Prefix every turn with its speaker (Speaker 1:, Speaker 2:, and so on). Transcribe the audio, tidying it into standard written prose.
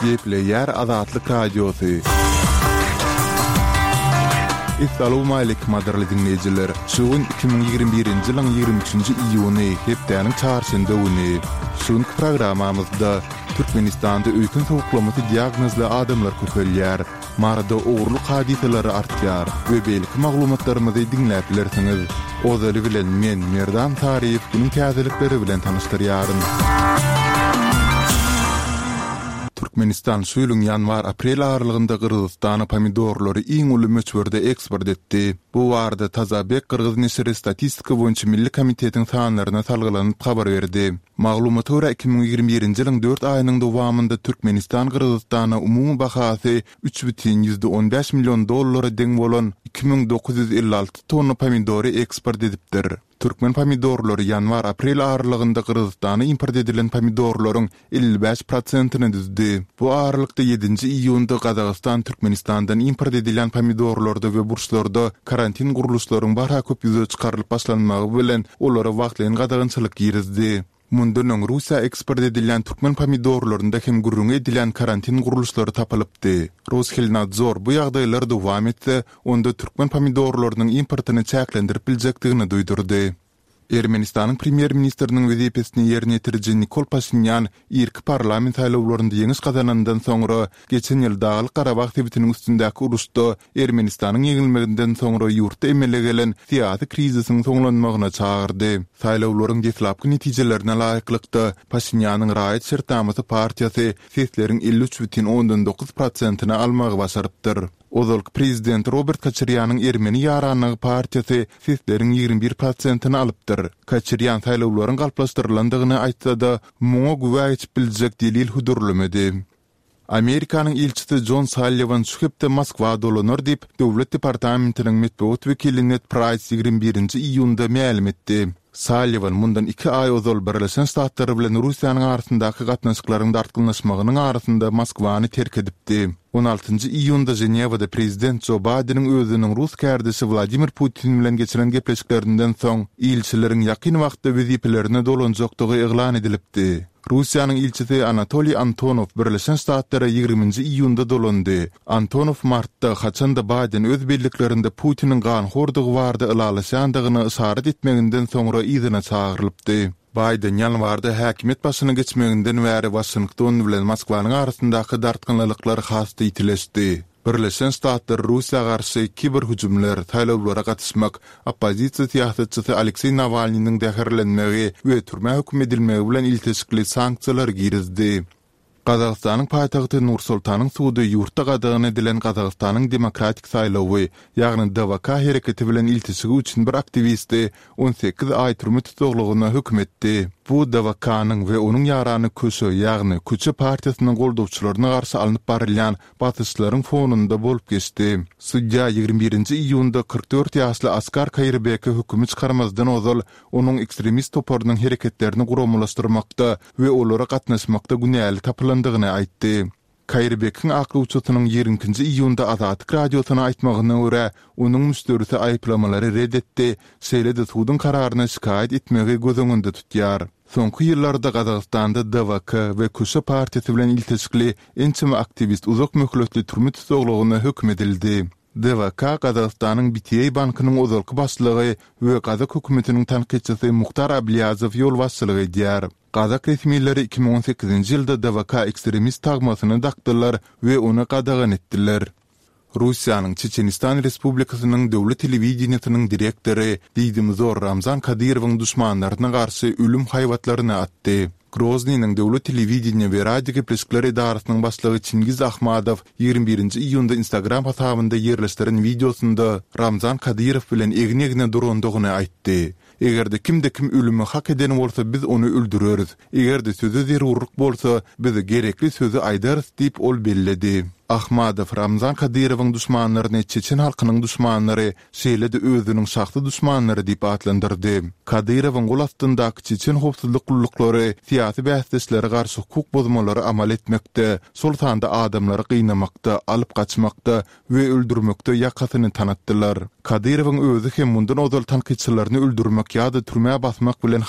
Speaker 1: Gepleýär Azatlyk Radiosy. Essalawmaleýkim gadyrly diňleýjiler! Şu gün 2021-nji ýylyň 23-nji iýuny, hepdäniň çarşenbe güni. Şu günki programmamyzda Türkmenistanda öýken sowuklamasy diagnozly adamlar köpelýär. Maryda ogurlyk hadysalary artýar we beýleki maglumatlarymyzy diňläp bilersiňiz. Ozaly bilen men, Merdan Saryýew günüň täzelikleri bilen tanyşdyrýaryn. Türkmenistan şu ýylyň ýanwar-aprel aralygynda Gyrgyzystana pomidorlary iň uly möçberde eksport etdi. Bu barada Tazabek gyrgyz neşiri Statistika boýunça milli komitetiň sanlaryna salgylanyp habar berdi. Maglumata görä, 2021-nji ýylyň dört aýynyň dowamynda Türkmenistan Gyrgyzystana umumy bahasy 3,15 million dollara deň bolan 2956 tonna pomidory eksport edipdir. Türkmen pomidorlary ýanwar-aprel aralygynda Gyrgyzystana import edilen pomidorlaryň 55 prosentini düzdi. Bu aralykda ýedinji iýunda Gazagystan Türkmenistandan import edilýän pomidorlarda we burçlarda karantin gurluşlaryň barha köp ýüze çykarylyp başlanmagy bilen olara wagtlaýyn gadagançylyk girizdi. Mundan öň Russiýa eksport edilýän türkmen pomidorlarynda hem gürrüňi edilýän karantin gurluşlary tapylypdy. Roshelnadzor bu ýagdaýlar dowam etse, onda türkmen pomidorlarynyň importyny çäklendirip biljekdigini duýdurdy. Ermenistanyň premýer-ministriniň wezipesini ýerine ýetiriji Nikol Paşinýan irki parlament saýlawlarynda ýeňiş gazanandan soňra, geçen ýyl Daglyk-Garabag sebitiniň üstündäki uruşda Ermenistanyň ýeňilmeginden soňra ýurtda emele gelen syýasy krizisiň soňlanmagyna çagyrdy. Saýlawlaryň deslapky netijelerine laýyklykda, Paşinýanyň Raýat şertnamasy partiýasy sesleriň 53,9 prosentini almagy başarypdyr. Ozalky prezident Robert Koçarýanyň Ermeni ýaranlygy partiýasy sesleriň 21 prosentini alypdyr. Koçarýan saýlawlaryň galplaşdyrylandygyny aýtsa-da, muňa güwä geçip biljek delil hödürlemedi. Amerikanyň ilçisi Jon Salliwan şu hepde Moskwa dolanar diýip, Döwlet departamentiniň metbugat wekili Ned Praýs 21-nji iýunda mälim etdi. Salliwan mundan iki aý ozal Birleşen Ştatlar bilen Russiýanyň arasyndaky gatnaşyklaryň dartgynlaşmagynyň arasynda Moskwany terk edipdi. On altynjy iýunda Ženewada prezident Jo Baýdeniň özüniň rus kärdeşi Wladimir Putin bilen geçiren gepleşiklerinden soň, ilçileriň ýakyn wagtda wezipelerine dolanjakdygy yglan edilipdi. Russiýanyň ilçisi Anatoliý Antonow Birleşen Ştatlara ýigriminji iýunda dolandy. Antonow martda, haçan-da Baýden öz belliklerinde Putiniň ganhordygy barada ylalaşýandygyna yşarat etmeginden soňra yzyna çagyrylypdy. Baýden ýanwarda häkimiýet başyna geçmeginden bäri Waşington bilen Moskwanyň arasyndaky dartgynlylyklar has-da ýitileşdi. Birleşen Ştatlar Russiýa garşy kiberhüjümler, saýlawlara gatyşmak, oppozisiýa syýasatçysy Alekseý Nawalnynyň zäherlenmegi we türmä höküm edilmegi bilen ilteşikli sanksiýalary girizdi. Gazagystanyň paýtagty Nur-Sultanyň sudy ýurtda gadagan edilen Gazagystanyň Demokratik saýlawy, ýagny DWK hereketi bilen ilteşigi üçin bir aktiwisti 18 aý türme tussaglygyna höküm etdi. Bu DWK-nyň we onuň ýarany Köşe, ýagny Köçe partiýasynyň goldawçylaryna garşy alnyp barylýan basyşlaryň fonunda bolup geçdi. Sudýa 21-nji iýunda 44 ýaşly Askar Kaýyrbeke hökümi çykarmazdan ozal onuň ekstremist toparynyň hereketlerini guramalaşdyrmakda we olara gatnaşmakda günäli tapylandygyny aýtdy. Kaýyrbekiň aklawçysynyň ýigrimi ikinji iýunda Azatlyk Radiosyna aýtmagyna görä, onuň müşderisi aýyplamalary ret etdi, şeýle-de suduň kararyna şikaýat etmegi göz öňünde tutýar. Soňky ýyllarda Gazagystanda DWK we Köşe partiýasy bilen ilteşikli ençeme aktiwist uzak möhletli türme tussaglygyna höküm edildi. DWK Gazagystanyň BTA bankynyň ozalky başlygy we gazak hökümetiniň tankytçysy Muhtar Ablýazow ýolbaşçylyk edýär. Gazak resmileri 2018-nji ýylda DWK ekstremist tagmasyny dakdylar we ony gadagan etdiler. Russiýanyň Çeçenistan Respublikasynyň döwlet telewideniýesiniň direktory diýdimzor Ramzan Kadyrowyň duşmanlaryna garşy ölüm haýbatlaryny atdy. Groznynyň döwlet telewideniýe we radiogepleşikler edarasynyň başlygy Çingiz Ahmadow 21-nji iýunda Instagram hasabynda ýerleşdiren wideosynda Ramzan Kadyrow bilen egin-egne durandygyny aýtdy. Eger-de kimde-kim ölümi hak eden bolsa biz ony öldüreris. Eger-de söze zerurlyk bolsa, biz gerekli sözi aýdarys diýip ol belledi. Ahmadow Ramzan Kadyrowyň duşmanlaryny çeçen halkynyň duşmanlary, şeýle-de özüniň şahsy duşmanlary diýip atlandyrdy. Kadyrowyň gol astyndaky çeçen howpsuzlyk gulluklary syýasy bäsdeşlere garşy hukuk bozmalary amal etmekde, şol sanda adamlary gynamakda, alyp gaçmakda we öldürmekde ýakasyny tanatdylar. Kadyrowyň özi hem mundan ozal tankytçylaryny öldürmek ýa-da türmä basmak bilen.